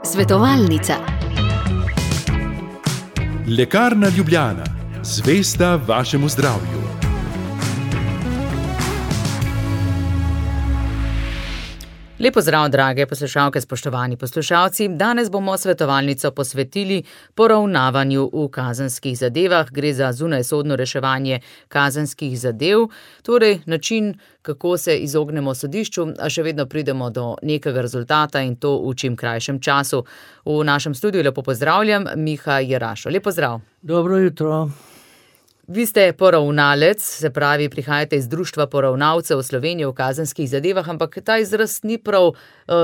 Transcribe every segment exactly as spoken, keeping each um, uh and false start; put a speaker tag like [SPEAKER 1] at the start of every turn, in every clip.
[SPEAKER 1] Svetovalnica.
[SPEAKER 2] Lekarna Ljubljana, zvesta vašemu zdravju.
[SPEAKER 3] Lep pozdrav, drage poslušalke, spoštovani poslušalci. Danes bomo svetovalnico posvetili poravnavanju v kazenskih zadevah. Gre za zunajsodno reševanje kazenskih zadev, torej način, kako se izognemo sodišču, a še vedno pridemo do nekega rezultata in to v čim krajšem času. V našem studiu lepo pozdravljam Miha Jerašo. Lep pozdrav.
[SPEAKER 4] Dobro jutro.
[SPEAKER 3] Vi ste poravnalec, se pravi, prihajate iz Društva poravnalcev Slovenije v kazenskih zadevah, ampak ta izraz ni prav uh,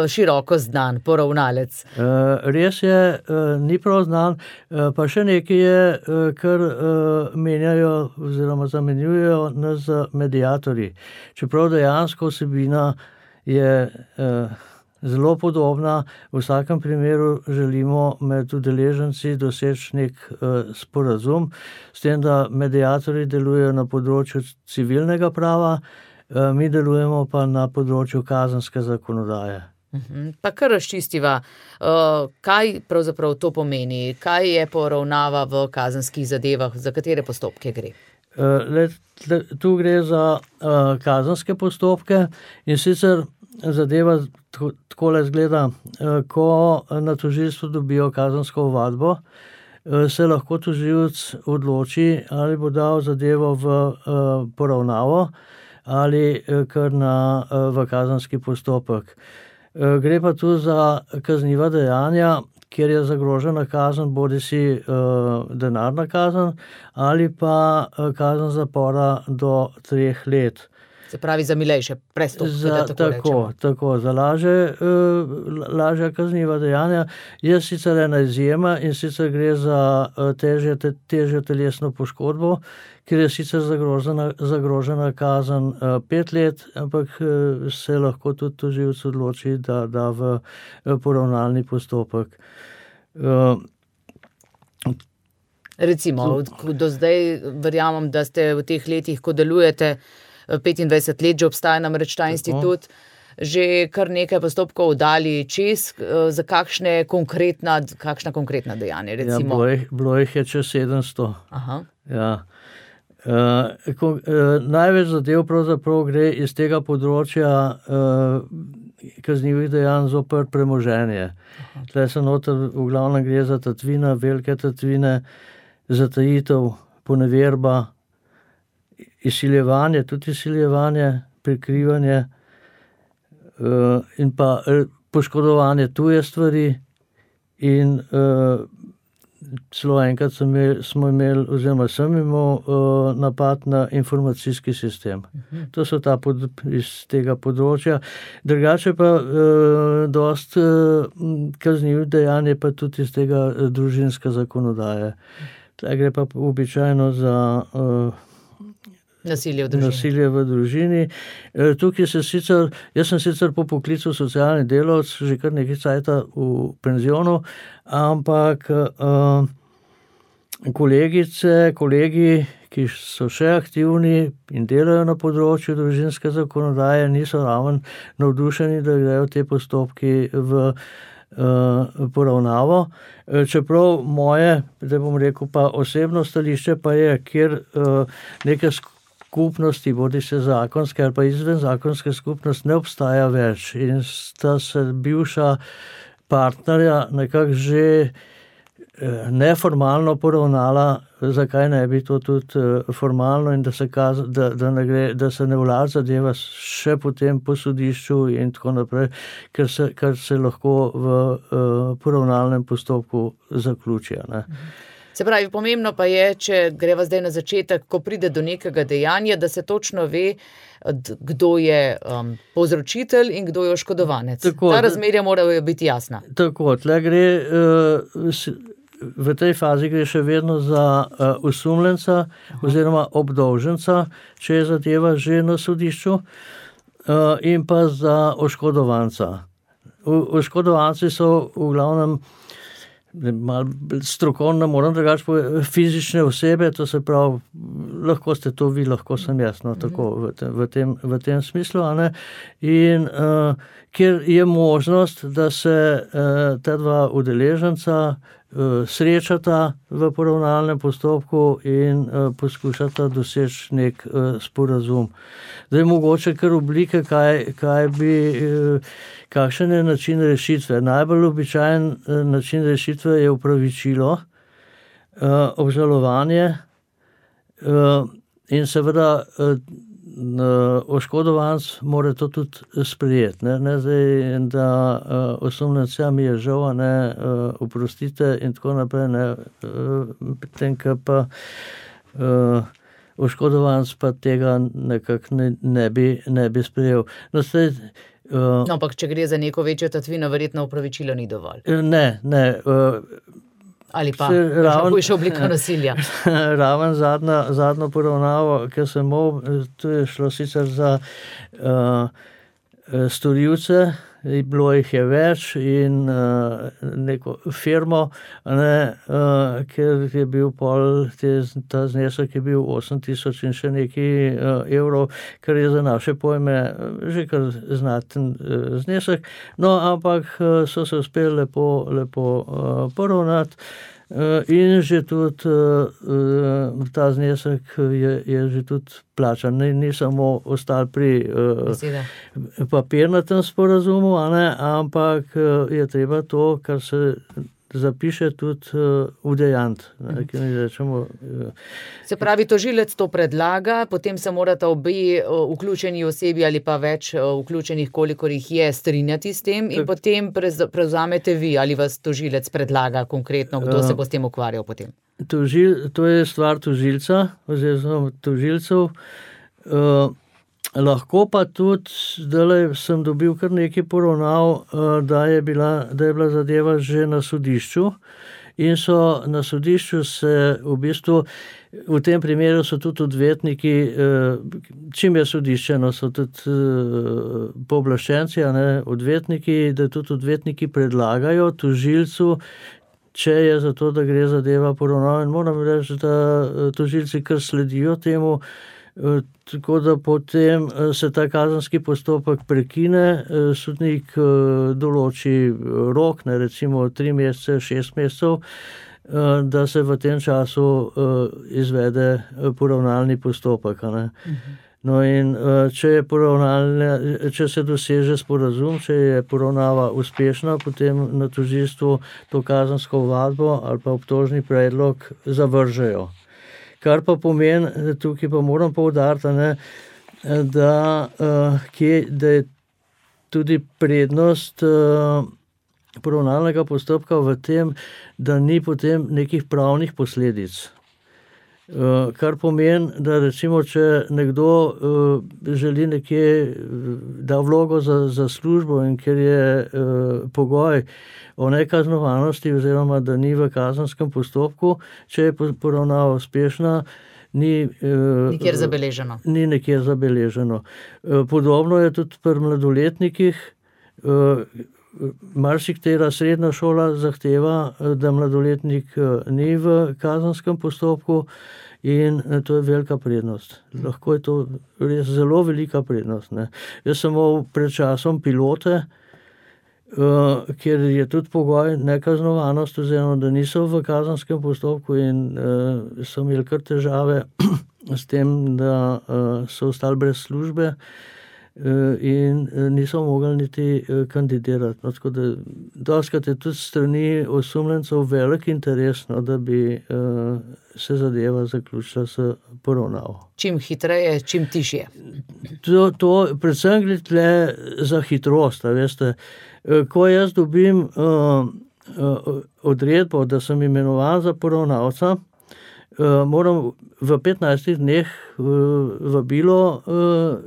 [SPEAKER 3] široko znan, poravnalec.
[SPEAKER 4] Uh, res je, uh, ni prav znan, uh, pa še nekaj je, uh, kar uh, menjajo oziroma zamenjujejo nas za mediatorji. Čeprav dejansko vsebina je uh, zelo podobna, v vsakem primeru želimo med udeleženci doseči nek uh, sporazum, s tem, da mediatorji delujejo na področju civilnega prava, uh, mi delujemo pa na področju kazenske zakonodaje.
[SPEAKER 3] Uh-huh. Pa kar razčistiva, uh, kaj pravzaprav to pomeni, kaj je poravnava v kazenskih zadevah, za katere postopke gre?
[SPEAKER 4] Uh, let, let, tu gre za uh, kazenske postopke in sicer zadeva takole izgleda, ko na tožilstvu dobijo kazensko ovadbo, se lahko tožilec odloči, ali bo dal zadevo v poravnavo ali kar na, v kazenski postopek. Gre pa tu za kazniva dejanja, kjer je zagrožena kazen, bodisi denarna kazen ali pa kazen zapora do treh let.
[SPEAKER 3] Se pravi, za milejše prestopke, da tako rečemo.
[SPEAKER 4] Tako, tako, za laže, uh, lažja kazniva dejanja je sicer ena izjema in sicer gre za uh, težje, te, težjo telesno poškodbo, kjer je sicer zagrožena, zagrožena kazen uh, pet let, ampak uh, se lahko tudi tožilec odloči, da da v uh, poravnalni postopek. Uh,
[SPEAKER 3] Recimo, do zdaj verjamem, da ste v teh letih, ko delujete, petindvajset let že obstaja namreč ta institut, že kar nekaj postopkov dali čez, za kakšne konkretna, kakšna konkretna dejanja, recimo.
[SPEAKER 4] Ja, bilo jih je čez sedemsto.
[SPEAKER 3] Aha.
[SPEAKER 4] Ja. Uh, ko, uh, največ zadev pravzaprav gre iz tega področja uh, kaznivih dejanj zoper premoženje. Tle se noter v glavnem gre za tatvine, velike tatvine, zatajitev, poneverba, izsiljevanje, tudi izsiljevanje, prikrivanje uh, in pa poškodovanje tuje stvari in uh, celo enkrat smo imeli, smo imeli oziroma sem imel uh, napad na informacijski sistem. Uh-huh. To so ta pod, iz tega področja. Drugače pa uh, dost uh, kaznivih dejanj je pa tudi iz tega uh, družinske zakonodaje. Tle gre pa običajno za uh,
[SPEAKER 3] Nasilje v družini.
[SPEAKER 4] Nasilje v družini. E, tukaj se sicer, jaz sem sicer po poklicu socialni delavec, že kar nekaj cajta v penzionu, ampak e, kolegice, kolegi, ki so še aktivni in delajo na področju družinske zakonodaje, niso ravno navdušeni, da grejo te postopki v Uh, poravnavo. Čeprav moje, da bom rekel, pa osebno stališče pa je, kjer uh, neke skupnosti, bodi se zakonske ali pa izven zakonske skupnost ne obstaja več in sta se bivša partnerja nekako že uh, neformalno poravnala, zakaj ne bi to tudi uh, formalno in da se, kaz, da, da ne gre, da se ne vlada zadeva še potem po sodišču in tako naprej, ker se, kar se lahko v uh, poravnalnem postopku zaključi. Ne.
[SPEAKER 3] Se pravi, pomembno pa je, če greva zdaj na začetek, ko pride do nekega dejanja, da se točno ve, kdo je um, povzročitelj in kdo je oškodovanec. Tako, ta razmerja morajo biti jasna.
[SPEAKER 4] Tako, tle gre... Uh, V tej fazi gre še vedno za uh, osumljenca oziroma obdolženca, če je zadeva že na sodišču, uh, in pa za oškodovanca. O, oškodovanci so v glavnem malo strokovno, moram drugače povedati, fizične osebe, to se pravi, lahko ste to vi, lahko sem jaz, no, tako v tem, v tem, v tem smislu, a ne, in, uh, kjer je možnost, da se ta dva udeleženca srečata v poravnalnem postopku in poskušata doseči nek sporazum. Zdaj mogoče kar oblike, kaj, kaj bi, kakšen je način rešitve. Najbolj običajen način rešitve je opravičilo, obžalovanje in seveda oškodovanec mora to tudi sprejeti. Ne, ne zdaj, da osumljenca mi je žal, ne, oprostite in tako naprej, ne, potem, ko pa oškodovanec pa tega nekako ne, ne, bi, ne bi sprejel. No, zdaj,
[SPEAKER 3] no, ampak če gre za neko večjo tatvino, verjetno opravičilo ni dovolj.
[SPEAKER 4] Ne, ne.
[SPEAKER 3] Ali pa raven, hujša oblika nasilja.
[SPEAKER 4] Raven zadnja, zadnjo poravnavo, ki sem imel, to je šlo sicer za uh, storilce, bilo jih je več in uh, neko firmo, ne, uh, ker je bil pol, te, ta znesek je bil osem tisoč in še nekaj uh, evrov, kar je za naše pojme že kar znaten uh, znesek, no, ampak uh, so se uspeli lepo, lepo uh, poravnati. In že tudi uh, ta znesek je, je že tudi plačan. Ni, ni samo ostal pri uh, papirnatem sporazumu, a ne, ampak uh, je treba to, kar se zapiše, tudi uh, udejant. Uh.
[SPEAKER 3] Se pravi, tožilec to predlaga, potem se morata obe uh, vključeni osebi ali pa več uh, vključenih, kolikor jih je, strinjati s tem in tak. Potem prevzamete vi ali vas tožilec predlaga konkretno, kdo uh, se bo s tem ukvarjal potem?
[SPEAKER 4] Tožil, to je stvar tožilca oziroma tožilcev. Uh, Lahko pa tudi, zdaj sem dobil kar nekaj poravnav, da je bila, da je bila zadeva že na sodišču in so na sodišču se v bistvu, v tem primeru so tudi odvetniki, čim je sodišče, no, so tudi pooblaščenci, a ne, odvetniki, da tudi odvetniki predlagajo tožilcu, če je za to, da gre zadeva poravnav, in moram reči, da tožilci kar sledijo temu, tako da potem se ta kazenski postopek prekine, sodnik določi rok, ne, recimo tri mesece, šest mesecev, da se v tem času izvede poravnalni postopek. Ne. No in če je poravnalne, če se doseže sporazum, če je poravnava uspešna, potem na tožilstvu to kazensko ovadbo ali pa obtožni predlog zavržejo. Kar pa pomeni, tukaj pa moram poudariti, ne, da, da je tudi prednost poravnalnega postopka v tem, da ni potem nekih pravnih posledic. Kar pomeni, da recimo, če nekdo želi nekje da vlogo za, za službo in ker je pogoj o nekaznovanosti oziroma da ni v kazenskem postopku, če je poravnava uspešna, ni
[SPEAKER 3] nikjer zabeleženo.
[SPEAKER 4] Ni nikjer zabeleženo. Podobno je tudi pri mladoletnikih. Marsikatera srednja šola zahteva, da mladoletnik ni v kazenskem postopku in to je velika prednost. Lahko je to res zelo velika prednost. Ne. Jaz sem imel pred časom pilote, Uh, kjer je tudi pogoj nekaznovanost, oziroma da niso v kazenskem postopku in uh, so imeli kar težave s tem, da uh, so ostali brez službe uh, in uh, niso mogli niti uh, kandidirati. No, tako da dostikrat je tudi strani osumljencev velik interes, no, da bi uh, se zadeva zaključila s poravnavo.
[SPEAKER 3] Čim hitreje, čim tišje.
[SPEAKER 4] To, to predvsem gre tle za hitrost, a veste. Ko jaz dobim uh, uh, odredbo, da sem imenovan za poravnavca, uh, moram v petnajstih dneh uh, vabilo uh,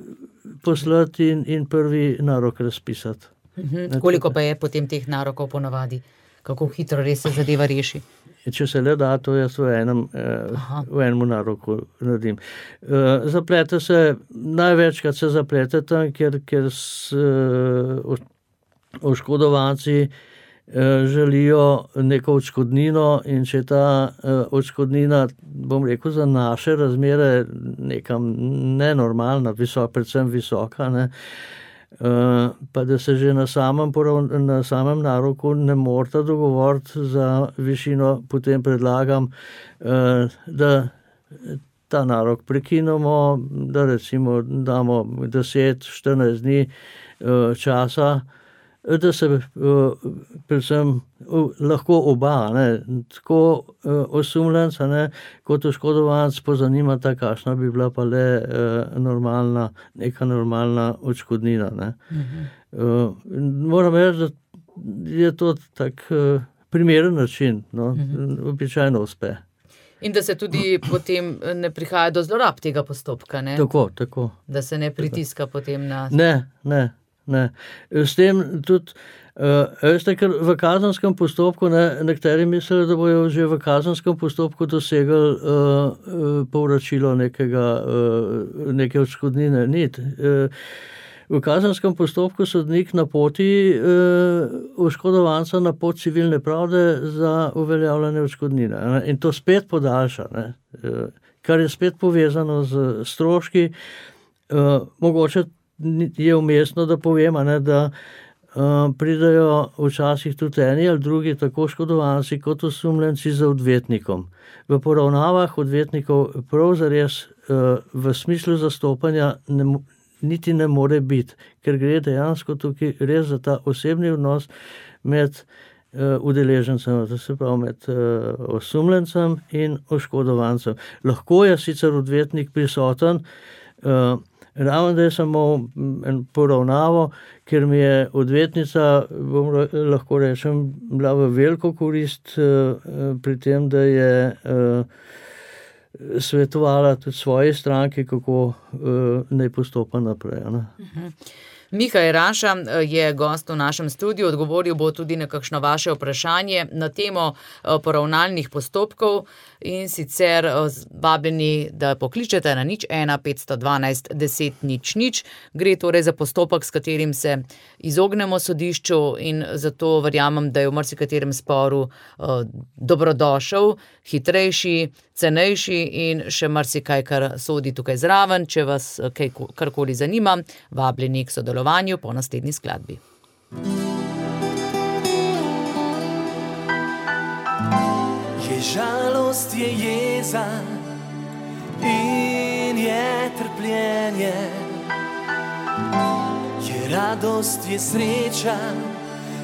[SPEAKER 4] poslati in, in prvi narok razpisati.
[SPEAKER 3] Uh-huh. Koliko pa je potem teh narokov ponavadi? Kako hitro res se zadeva reši?
[SPEAKER 4] Če se le da, to jaz v enem, uh, v enem naroku naredim. Uh, zaplete se, največkrat se zaplete tam, ker, ker s, uh, oškodovanci eh, želijo neko odškodnino in če ta eh, odškodnina, bom rekel, za naše razmere nekam nenormalna, visok, predvsem visoka, ne, pa da se že na samem, na samem naroku ne morata dogovoriti za višino, potem predlagam, da ta narok prekinemo, da recimo damo deset, štirinajst dni časa, da se predvsem lahko oba, ne, tako osumljenec, ne, kot oškodovanec pozanimata, kakšna bi bila pa le normalna, neka normalna odškodnina, ne. Mhm. Moram reči, da je to tak primeren način, no, mhm. običajno uspe.
[SPEAKER 3] In da se tudi potem ne prihaja do zlorab tega postopka, ne?
[SPEAKER 4] Tako, tako.
[SPEAKER 3] Da se ne pritiska tako. Potem na...
[SPEAKER 4] Ne, ne. Ne. S tem tudi, uh, veste, ker v kazenskem postopku, ne, nekateri mislijo, da bojo že v kazenskem postopku dosegli uh, uh, povračilo nekega, uh, neke odškodnine. Nit. Uh, v kazenskem postopku sodnik napoti uh, oškodovanca na pot civilne pravde za uveljavljanje odškodnine. Ne. In to spet podaljša, ne. Uh, kar je spet povezano z stroški, uh, mogoče je umestno, da povem, ne, da uh, pridajo včasih tudi eni ali drugi, tako škodovanci kot osumljenci za odvetnikom. V poravnavah odvetnikov prav zares uh, v smislu zastopanja ne, niti ne more biti, ker gre dejansko tukaj res za ta osebni odnos med uh, udeležencem, to se pravi med uh, osumljencem in oškodovancem. Lahko je sicer odvetnik prisoten, uh, ravno da je samo en poravnavo, ker mi je odvetnica, bom lahko rečem, bila v veliko korist uh, pri tem, da je uh, svetovala tudi svoji stranki, kako uh, naj postopa naprej. Ne?
[SPEAKER 3] Uh-huh. Miha Jeraša je gost v našem studiu, odgovoril bo tudi na kakšno vaše vprašanje na temo poravnalnih postopkov in sicer vabljeni, da pokličete na nič ena petsto dvanajst deset nič nič. Gre torej za postopek, s katerim se izognemo sodišču in zato verjamem, da je v marsikaterem sporu dobrodošel, hitrejši, cenejši in še marsikaj, kar sodi tukaj zraven. Če vas kaj, karkoli zanima, vabljeni k sodelovanju po naslednji skladbi.
[SPEAKER 1] Je žalost, je jeza in je trpljenje, je radost, je sreča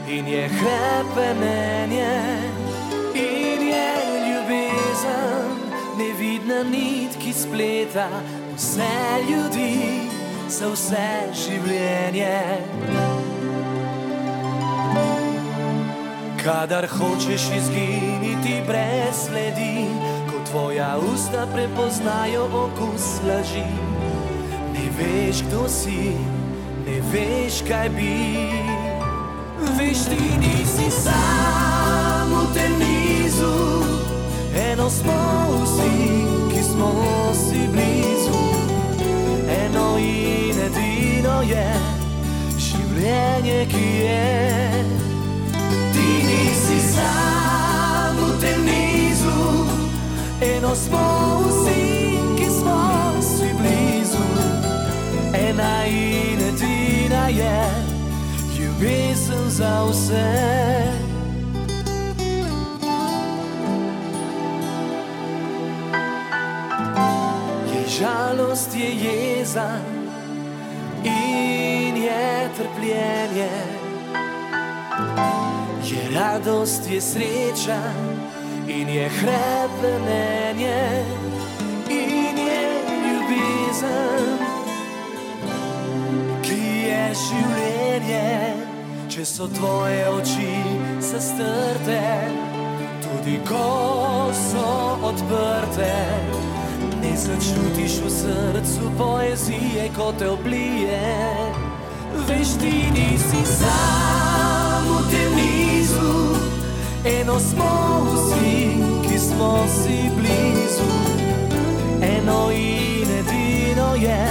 [SPEAKER 1] in je hrepenenje in je ljubezen, nevidna nit, ki spleta vse ljudi za vse življenje. Kadar hočeš izginiti brez sledi, ko tvoja usta prepoznajo okus laži, ne veš, kdo si, ne veš, kaj bi. Veš, ti nisi sam v tem nizu, eno smo vsi, ki smo si blizu. Eno in edino je življenje, ki je. Ti nisi sam v tem nizu, eno smo vsi, ki smo si blizu. Ena in edina je ljubezen za vse. Žalost, je jeza in je trpljenje, je radost, je sreča in je hrepenenje in je ljubezen, ki je življenje. Če so tvoje oči zastrte, tudi ko so odprte, ne začutiš v srcu poezije, ko te oblije. Veš, ti nisi sam v tem nizu, eno smo vsi, ki smo si blizu. Eno in edino je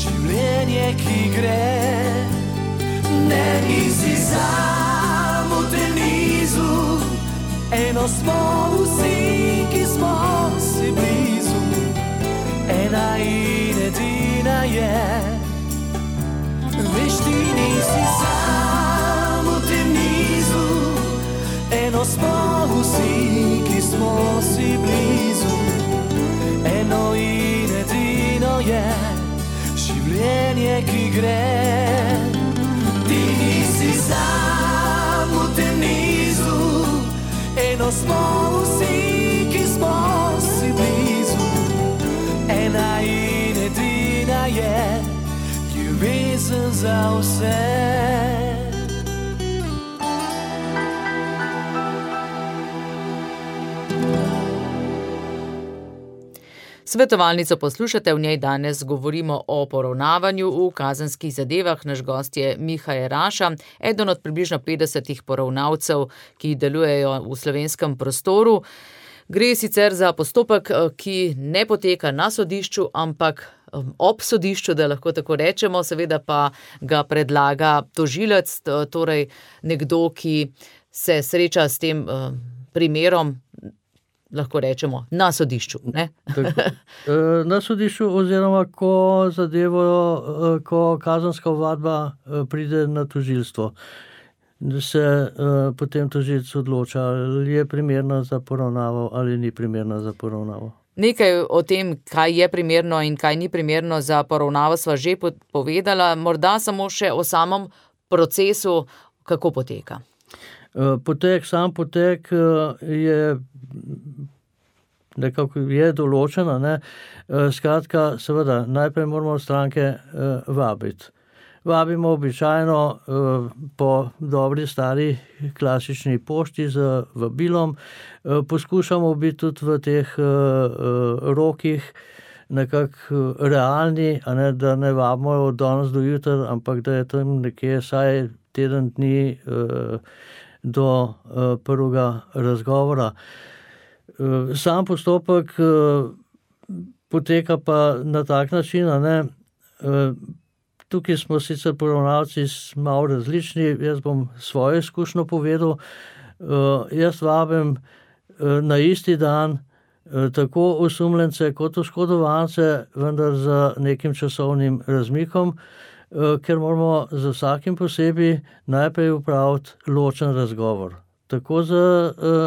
[SPEAKER 1] življenje, ki gre. Ne, nisi sam v tem nizu, eno smo vsi, ki smo si blizu. Ena in edina je, veš, ti nisi sam v tem nizu, eno smo vsi, ki smo si blizu, eno in edino je življenje, ki gre. Ti nisi sam v tem nizu, eno smo vsi, ki smo si blizu, ena in edina je ljubezen za vse.
[SPEAKER 3] Svetovalnico poslušate, v njej danes govorimo o poravnavanju v kazenskih zadevah. Naš gost je Miha Jeraša, eden od približno petdesetih poravnavcev, ki delujejo v slovenskem prostoru. Gre sicer za postopek, ki ne poteka na sodišču, ampak ob sodišču, da lahko tako rečemo, seveda pa ga predlaga tožilec, torej nekdo, ki se sreča s tem primerom, lahko rečemo, na sodišču. Ne?
[SPEAKER 4] Na sodišču oziroma, ko zadevo, ko kazenska ovadba pride na tožilstvo, da se uh, potem tožilec odloča, ali je primerna za poravnavo ali ni primerna za poravnavo.
[SPEAKER 3] Nekaj o tem, kaj je primerno in kaj ni primerno za poravnavo, sva že povedala, morda samo še o samem procesu, kako poteka.
[SPEAKER 4] Potek, sam potek je nekako je določena, ne? Skratka, seveda, najprej moramo stranke vabiti. Vabimo običajno po dobri stari klasični pošti z vabilom. Poskušamo biti tudi v teh rokih nekako realni, a ne, da ne vabimo od danes do jutra, ampak da je tam nekje vsaj teden dni do prvega razgovora. Sam postopek poteka pa na tak način, a ne. Tukaj smo sicer poravnavci malo različni, jaz bom svojo izkušnjo povedal. Jaz vabim na isti dan tako osumljence kot oškodovance, vendar z nekim časovnim razmikom, ker moramo za vsakim posebej najprej upraviti ločen razgovor. Tako z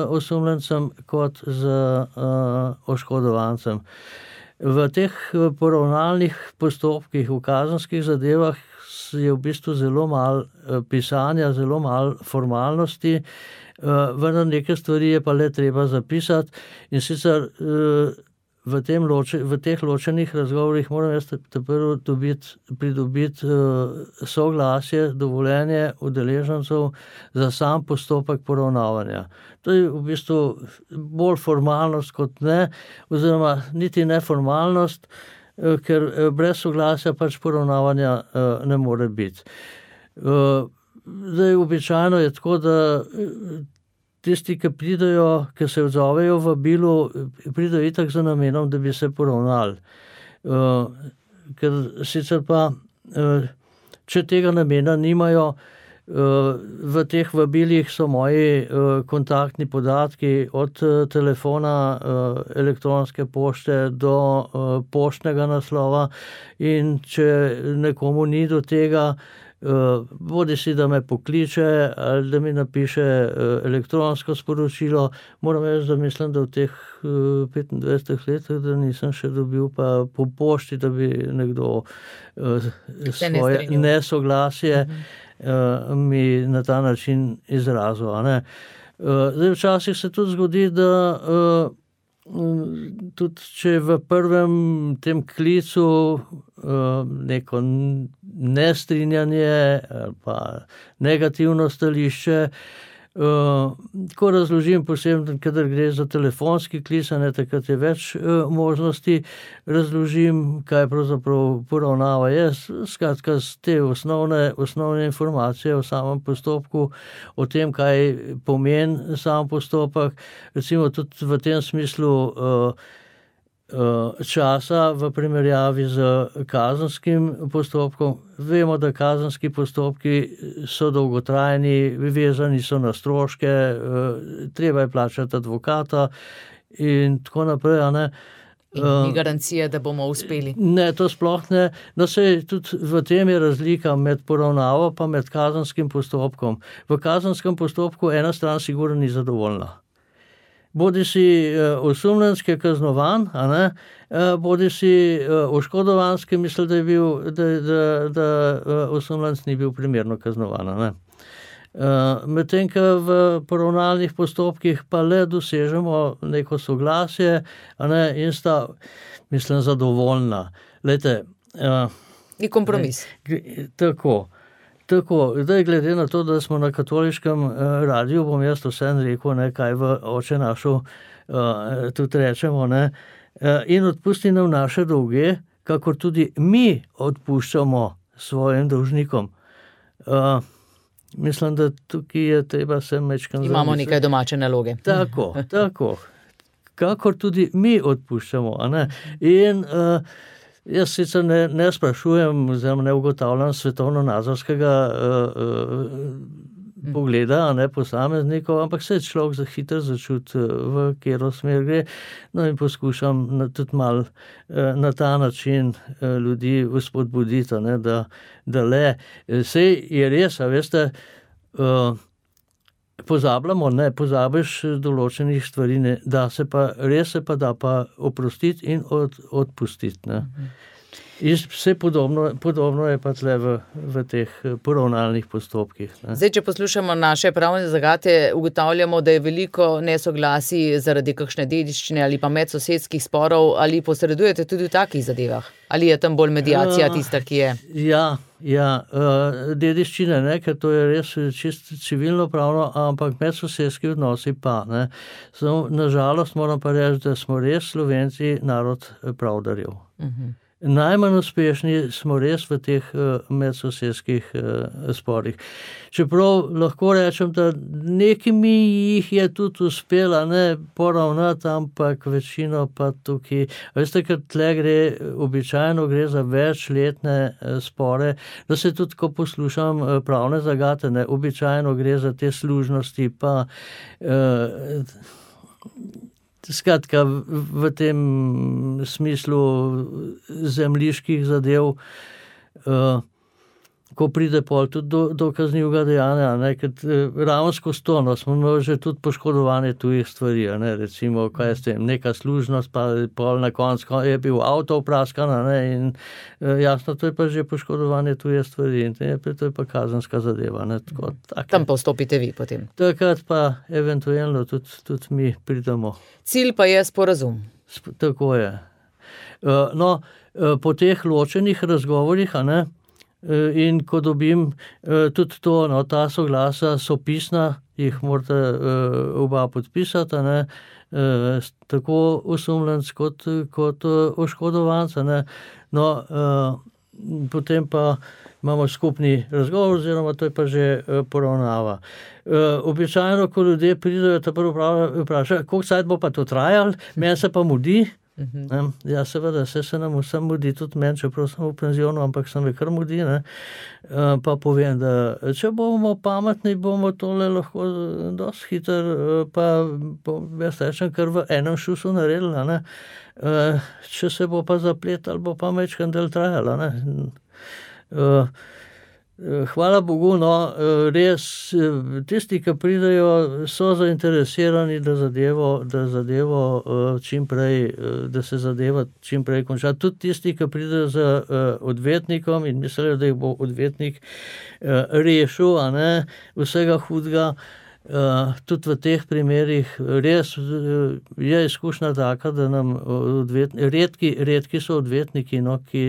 [SPEAKER 4] osumljencem kot z oškodovancem. V teh poravnalnih postopkih, v kazenskih zadevah je v bistvu zelo malo pisanja, zelo malo formalnosti, vendar neke stvari je pa le treba zapisati in sicer v, tem loče, v teh ločenih razgovorih moram jaz prvo dobiti, pridobiti soglasje, dovoljenje udeležencev za sam postopek poravnavanja. To je v bistvu bolj formalnost kot ne, oziroma niti ne formalnost, ker brez soglasja pač poravnavanja ne more biti. Zdaj, običajno je tako, da tisti, ki pridejo, ki se odzovejo v vabilu, pridejo itak za namenom, da bi se poravnali. Ker sicer pa, če tega namena nimajo, v teh vabilih so moji kontaktni podatki od telefona, elektronske pošte do poštnega naslova in če nekomu ni do tega, bodi si, da me pokliče ali da mi napiše elektronsko sporočilo. Moram reči, da mislim, da v teh petindvajsetih letih, da nisem še dobil pa po pošti, da bi nekdo svoje nesoglasje mi na ta način izrazil. A ne? Zdaj, včasih se tudi zgodi, da tudi če v prvem tem klicu neko nestrinjanje ali pa negativno stališče, ko razložim posebno, kadar gre za telefonski klic, ne, takrat je več možnosti, razložim, kaj pravzaprav poravnava je, skratka te osnovne, osnovne informacije o samem postopku, o tem, kaj pomeni sam postopek, recimo tudi v tem smislu časa v primerjavi z kazenskim postopkom. Vemo, da kazenski postopki so dolgotrajni, vezani so na stroške, treba je plačati advokata in tako naprej, a ne.
[SPEAKER 3] In ni garancije, da bomo uspeli.
[SPEAKER 4] Ne, to sploh ne. No, sej tudi v tem je razlika med poravnavo pa med kazenskim postopkom. V kazenskem postopku ena stran sigurno ni zadovoljna. Bodi si osumljenski kaznovan, a ne, bodi si oškodovanski misli, da je bil, da, da, da osumljenc ni bil primerno kaznovan, a ne. Medtem, ko v poravnalnih postopkih pa le dosežemo neko soglasje, a ne, in sta, mislim, zadovoljna. Lejte,
[SPEAKER 3] je kompromis.
[SPEAKER 4] Ne, tako. Tako, zdaj glede na to, da smo na katoliškem radiju, bom jaz vseeno rekel, ne, kaj v Oče našu uh, tudi rečemo, ne, uh, in odpusti nam naše dolge, kakor tudi mi odpuščamo svojim dolžnikom. Uh, mislim, da tukaj je treba se mečkam
[SPEAKER 3] Imamo zamisliti. Nekaj domače naloge.
[SPEAKER 4] Tako, tako. Kakor tudi mi odpuščamo, a ne. In uh, jaz sicer ne, ne sprašujem, oziroma ne ugotavljam svetovno-nazorskega uh, uh, pogleda, a ne posameznikov, ampak se človek za hitro začuti, v katero smer gre, no in poskušam na, tudi mal uh, na ta način uh, ljudi vzpodbuditi, ne, da, da le. Sej je res, a veste, uh, pozabljamo, ne, pozabiš določenih stvari, ne, da se pa, res se pa da pa oprostiti in od, odpustiti, ne. In vse podobno, podobno je pa tle v, v teh poravnalnih postopkih, ne.
[SPEAKER 3] Zdaj, če poslušamo naše pravne zagate, ugotavljamo, da je veliko nesoglasij zaradi kakšne dediščine ali pa medsosedskih sporov, ali posredujete tudi v takih zadevah? Ali je tam bolj mediacija tista, ki je?
[SPEAKER 4] Ja, ja, dediščine, ne, ker to je res čisto civilno pravno, ampak medsosedski odnosi pa, ne. Samo, nažalost moram pa reči, da smo res Slovenci narod pravdarjev. Uh-huh. Najmanj uspešni smo res v teh uh, medsosedskih uh, sporih. Čeprav lahko rečem, da nekimi jih je tudi uspela, ne, poravnati, ampak večino pa tukaj. Veste, ker tle gre, običajno gre za večletne uh, spore, da se tudi, ko poslušam uh, pravne zagate, ne, običajno gre za te služnosti, pa uh, skratka, v tem smislu zemljiških zadev, uh, ko pride pol tudi do, do kaznivega dejanja, ne, ker ravno skozi to, no, smo imeli že tudi poškodovanje tujih stvari, ne, recimo, kaj je s tem, neka služnost, pa pol na koncu je bil avto opraskan, ne, in jasno, to je pa že poškodovanje tuje stvari in to je pa kazenska zadeva, ne, tako, tako.
[SPEAKER 3] Tam pa vstopite vi potem.
[SPEAKER 4] Takrat pa eventualno tudi, tudi mi pridemo.
[SPEAKER 3] Cilj pa je sporazum.
[SPEAKER 4] Sp- tako je. Uh, no, uh, po teh ločenih razgovorih, a ne, in ko dobim tudi to, no, ta soglasa so pisna, jih morate oba podpisati, ne, tako osumljenec kot, kot oškodovanca, ne, no, potem pa imamo skupni razgovor, oziroma to je pa že poravnava. Običajno, ko ljudje pridejo, ta prvo vpraša, koliko cajt bo pa to trajalo, meni se pa mudi. Uh-huh. Ja, seveda, se, se nam vsem mudi, tudi meni, čeprav sem v penzionu, ampak sem me kar mudi, ne. Pa povem, da če bomo pametni, bomo tole lahko dosti hiter, pa jaz rečem, kar v enem šusu naredili, ne. Če se bo pa zapletal, bo pa mečkan del trajala, ne. Hvala Bogu, no, res, tisti, ki pridejo, so zainteresirani, da zadevo, da zadevo čim prej, da se zadeva čim prej konča. Tudi tisti, ki pridejo z odvetnikom in mislijo, da jih bo odvetnik rešil, a ne, vsega hudega. Uh, tudi v teh primerih res uh, je izkušnja taka, da nam odvetniki, redki, redki so odvetniki, no, ki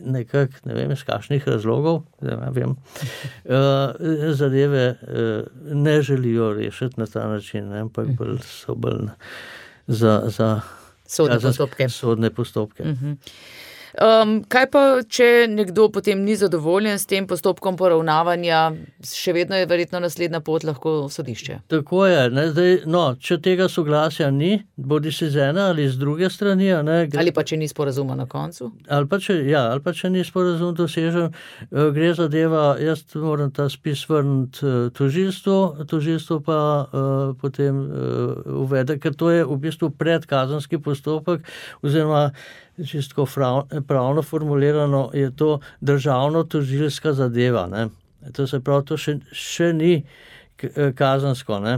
[SPEAKER 4] nekako, ne vem, iz kakšnih razlogov, ne vem, uh, zadeve uh, ne želijo rešiti na ta način, ne, ampak bolj so bolj za, za
[SPEAKER 3] sodne postopke.
[SPEAKER 4] Sodne postopke.
[SPEAKER 3] Uh-huh. Um, kaj pa, če nekdo potem ni zadovoljen s tem postopkom poravnavanja, še vedno je verjetno naslednja pot lahko sodišče?
[SPEAKER 4] Tako je. Ne, zdaj, no, če tega soglasja ni, bodi si z ene ali z druge strani. Ne, gre,
[SPEAKER 3] ali pa če ni sporazuma na koncu?
[SPEAKER 4] Ali pa če, ja, ali pa če ni sporazum dosežen, gre zadeva, jaz moram ta spis vrniti tožilstvu, tožilstvo pa uh, potem uh, uvede, ker to je v bistvu predkazenski postopek, oziroma čisto pravno formulirano je to državno-tožilska zadeva. Ne. To se pravi, to še, še ni kazensko. Ne.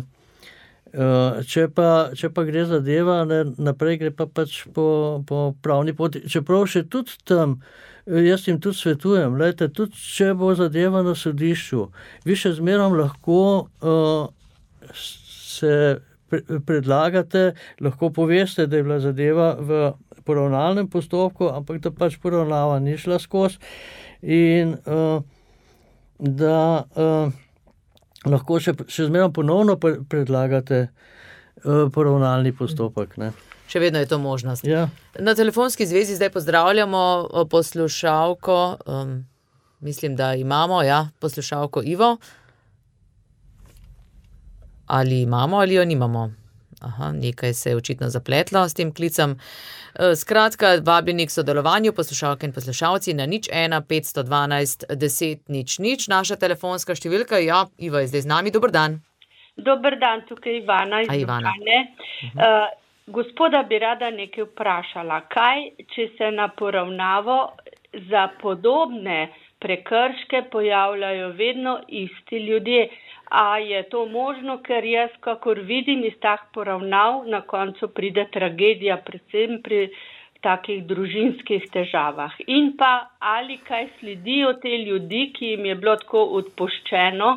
[SPEAKER 4] Če pa, če pa gre zadeva, ne, naprej gre pa pač po, po pravni poti. Čeprav še tudi tam, jaz jim tudi svetujem, lejte, tudi če bo zadeva na sodišču, vi še zmerom lahko uh, se predlagate, lahko poveste, da je bila zadeva v poravnalnem postopku, ampak da pač poravnava ni šla skozi in uh, da uh, lahko še, še zmeraj ponovno predlagate uh, poravnalni postopek. Ne.
[SPEAKER 3] Še vedno je to možnost.
[SPEAKER 4] Ja.
[SPEAKER 3] Na telefonski zvezi zdaj pozdravljamo poslušalko, um, mislim, da imamo, ja, poslušalko Ivo. Ali imamo, ali jo nimamo. Aha, nekaj se je očitno zapletlo s tem klicem. Skratka, vabljeni k sodelovanju, poslušalke in poslušalci na nič ena petsto dvanajst deset nič nič. Naša telefonska številka, ja, Iva je zdaj z nami, dober dan.
[SPEAKER 5] Dober dan, tukaj Ivana iz Ljubljane. Uh-huh. Uh, gospoda bi rada nekaj vprašala. Kaj, če se na poravnavo za podobne prekrške pojavljajo vedno isti ljudje? A je to možno, ker jaz, kakor vidim iz tak poravnav, na koncu pride tragedija, predvsem pri takih družinskih težavah. In pa, ali kaj sledijo te ljudi, ki jim je bilo tako odpuščeno,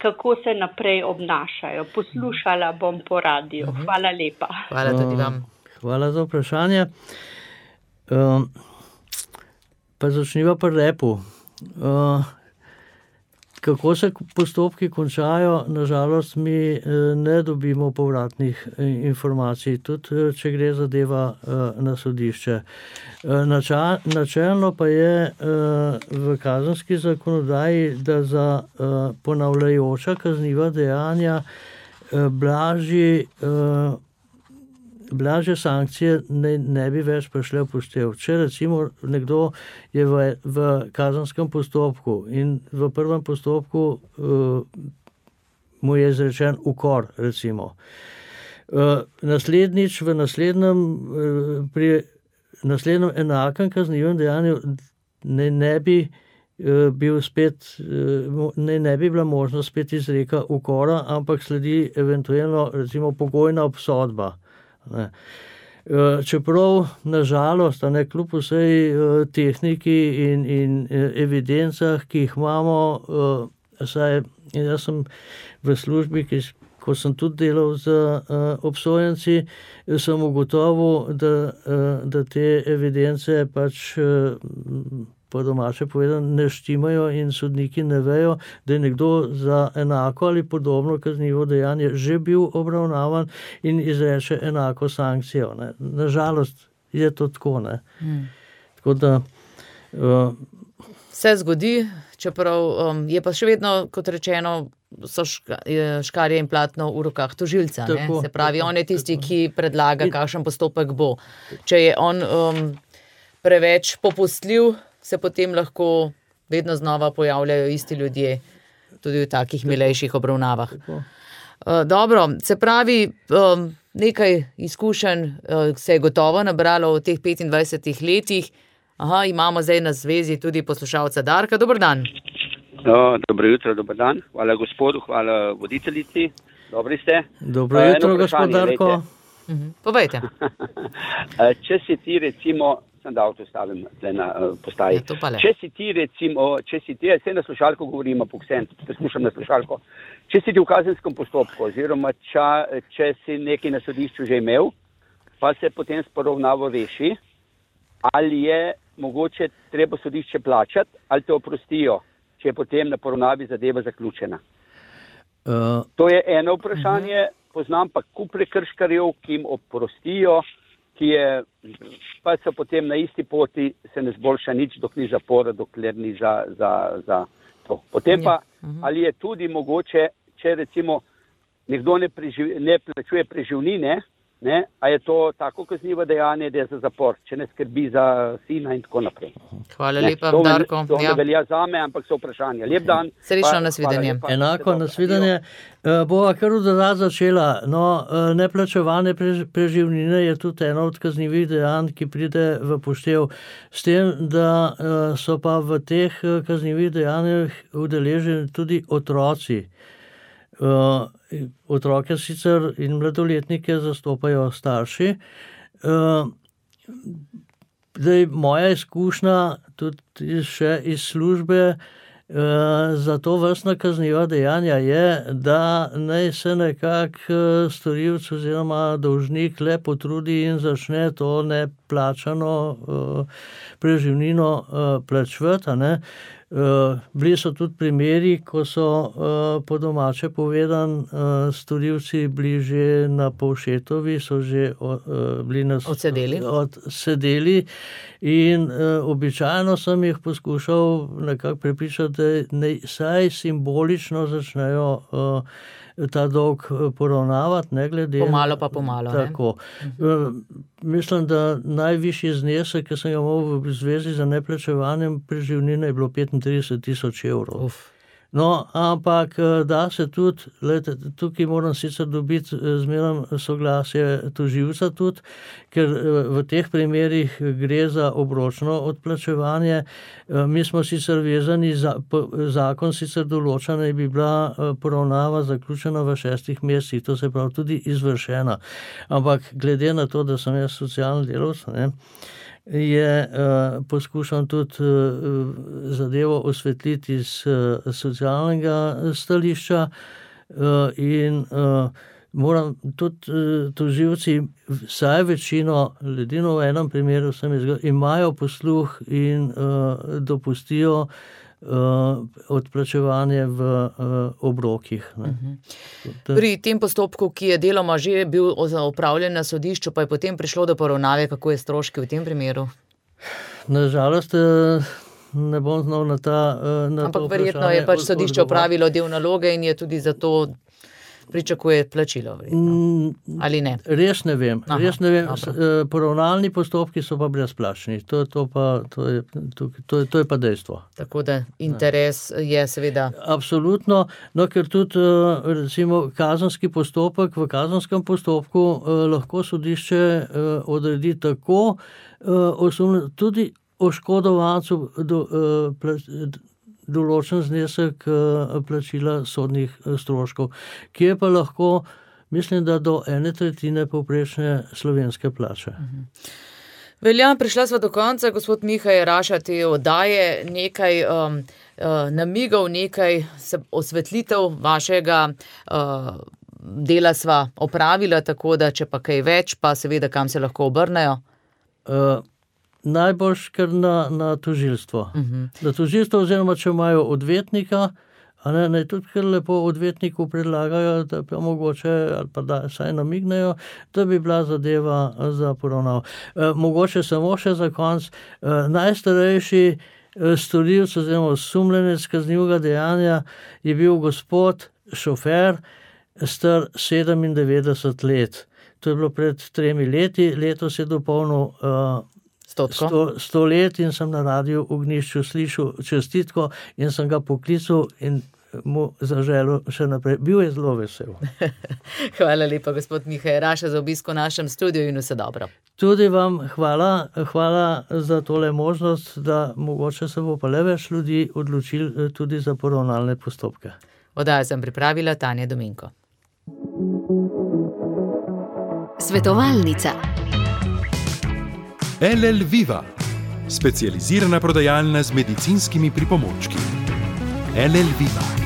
[SPEAKER 5] kako se naprej obnašajo. Poslušala bom po radiju. Hvala lepa.
[SPEAKER 3] Hvala tudi vam.
[SPEAKER 4] Hvala za vprašanje. Um, pa začniva pri repu. Uh, Kako se postopki končajo, nažalost mi ne dobimo povratnih informacij, tudi če gre zadeva na sodišče. Načelno pa je v kazenski zakonodaji, da za ponavljajoča kazniva dejanja blažji blažje sankcije ne, ne bi več prišle v poštev. Če recimo nekdo je v, v kazenskem postopku in v prvem postopku uh, mu je izrečen ukor, recimo. Uh, naslednjič v naslednjem, uh, pri naslednjem enakem kaznivem dejanju ne, ne bi uh, bil spet, uh, ne, ne bi bila možnost spet izreka ukora, ampak sledi eventualno recimo pogojna obsodba. Ne. Čeprav nažalost, ne, kljub vsej tehniki in, in evidencah, ki jih imamo, saj jaz sem v službi, ki, ko sem tudi delal z obsojenci, sem ugotovil, da, da te evidence pač po domače povedano ne štimajo in sodniki ne vejo, da je nekdo za enako ali podobno kaznivo dejanje že bil obravnavan in izreče enako sankcijo. Ne. Nažalost je to tako. Ne. Hmm. Tako da uh,
[SPEAKER 3] se zgodi, čeprav um, je pa še vedno, kot rečeno, so ška, škarje in platno v rokah tožilca. Tako, se pravi, tako, on je tisti, tako, ki predlaga, kakšen postopek bo. Če je on um, preveč popustljiv, se potem lahko vedno znova pojavljajo isti ljudje, tudi v takih milejših obravnavah. Uh, dobro, se pravi, um, nekaj izkušenj uh, se je gotovo nabralo v teh petindvajsetih letih. Aha, imamo zdaj na zvezi tudi poslušalca Darka. Dober dan.
[SPEAKER 6] No, dobro jutro, dober dan. Hvala gospodu, hvala voditeljici. Dobri ste?
[SPEAKER 4] Dobro jutro, gospod Darko.
[SPEAKER 3] Uh-huh. Povejte.
[SPEAKER 6] Če si ti recimo, sem da avto stavim na uh, postaji. Ja, če si ti recimo, če si ti, vse na slušalko govorimo, poksen, poslušam na slušalko, če si ti v kazenskem postopku, oziroma ča, če si nekaj na sodišču že imel, pa se potem s poravnavo reši, ali je mogoče treba sodišče plačati, ali te oprostijo, če je potem na poravnavi zadeva zaključena. Uh, to je eno vprašanje, uh-huh. Poznam pa kup prekrškarjev, ki jim oprostijo ki je, pa so potem na isti poti, se ne zboljša nič, dok ni zapora, dokler ni za, za, za to. Potem pa, ali je tudi mogoče, če recimo nekdo ne, preživ, ne plačuje preživnine, ne, a je to tako kaznivo dejanje, da je za zapor, če ne skrbi za sina in tako naprej.
[SPEAKER 3] Hvala
[SPEAKER 6] ne,
[SPEAKER 3] lepa,
[SPEAKER 6] to
[SPEAKER 3] Darko.
[SPEAKER 6] To ne
[SPEAKER 3] ja.
[SPEAKER 6] velja zame, ampak so vprašanja. Lep dan.
[SPEAKER 3] Srečno nasvidenje.
[SPEAKER 4] Enako nasvidenje. Bova kar dodat začela. No, neplačevanje preživnine je tudi eno od kaznivih dejanj, ki pride v poštev. S tem, da so pa v teh kaznivih dejanjih udeleženi tudi otroci. Uh, otroke sicer in mladoletnike zastopajo starši. Uh, zdaj, moja izkušnja tudi še iz službe uh, za to vrstna kazniva dejanja je, da naj se nekako storilec oziroma dolžnik le potrudi in začne to neplačano uh, preživnino uh, plačevati, ne. Uh, bili so tudi primeri, ko so uh, po domače povedan uh, storilci bili že na Povšetovi, so že uh, bili nas,
[SPEAKER 3] odsedeli.
[SPEAKER 4] odsedeli in uh, običajno sem jih poskušal nekako prepričati, da ne, saj simbolično začnejo uh, ta dolg poravnavati, ne glede.
[SPEAKER 3] Pomalo pa pomalo.
[SPEAKER 4] Tako. Uh, mislim, da najvišji znesek, ki sem ga imel v zvezi z neplačevanjem preživnine, je bilo petintrideset tisoč evrov.
[SPEAKER 3] Uf.
[SPEAKER 4] No, ampak da se tudi, lejte, tukaj moram sicer dobiti zmeraj soglasje tožilca tudi, ker v teh primerih gre za obročno odplačevanje. Mi smo sicer vezani, za, zakon sicer določa, da bi bila poravnava zaključena v šestih mesecih, to se pravi tudi izvršena. Ampak glede na to, da sem jaz socialni delavec, ne, je uh, poskušam tudi uh, zadevo osvetliti iz uh, socialnega stališča uh, in uh, moram tudi uh, tožilci, vsaj večino ljudi, v enem primeru sem izgledal, imajo posluh in uh, dopustijo Uh, odplačevanje v uh, obrokih. Ne.
[SPEAKER 3] Uh-huh. Pri tem postopku, ki je deloma že bil opravljen na sodišču, pa je potem prišlo do poravnave, kako je stroški v tem primeru?
[SPEAKER 4] Nažalost, ne bom znal na ta na
[SPEAKER 3] Ampak verjetno je pač sodišče opravilo del naloge in je tudi zato pričakuje plačilo. Verjetno. Ali ne?
[SPEAKER 4] Res ne vem. Aha, res ne vem. Poravnalni postopki so pa brezplačni. To, to, pa, to, je, to, to, je, to je pa dejstvo.
[SPEAKER 3] Tako da interes ne. Je seveda.
[SPEAKER 4] Absolutno. No, ker tudi recimo kazenski postopek, v kazenskem postopku lahko sodišče odredi tako osumljeno, tudi oškodovancu do, določen znesek plačila sodnih stroškov, ki je pa lahko, mislim, da do ene tretjine povprečne slovenske plače.
[SPEAKER 3] Velja, prišla sva do konca, gospod Miha Jeraša, te oddaje, nekaj um, uh, namigov, nekaj osvetlitev vašega uh, dela sva opravila, tako da če pa kaj več, pa seveda kam se lahko obrnejo?
[SPEAKER 4] Uh, Najboljš kar na, na tožilstvo. Uh-huh. Na tožilstvo oziroma, če imajo odvetnika, a ne, ne tudi kar lepo odvetniku predlagajo, da pa mogoče, ali pa da saj namignejo, da bi bila zadeva za poravnavo. E, mogoče samo še za konc, e, najstarejši storilec oziroma osumljenec kaznivega dejanja je bil gospod šofer, star sedemindevetdeset let. To je bilo pred tremi leti, letos je dopolnil uh, Sto, sto let in sem na radiju Ognjišču slišal čestitko in sem ga poklical in mu zaželil še naprej. Bil je zelo vesel.
[SPEAKER 3] Hvala lepa, gospod Miha Jeraša, za obisk v našem studiu in vse dobro.
[SPEAKER 4] Tudi vam hvala, hvala za tole možnost, da mogoče se bo pa le več ljudi odločili tudi za poravnalne postopke.
[SPEAKER 3] Oddajo sem pripravila Tanja Dominko.
[SPEAKER 7] Svetovalnica.
[SPEAKER 2] L L Viva, specializirana prodajalna z medicinskimi pripomočki. L L Viva.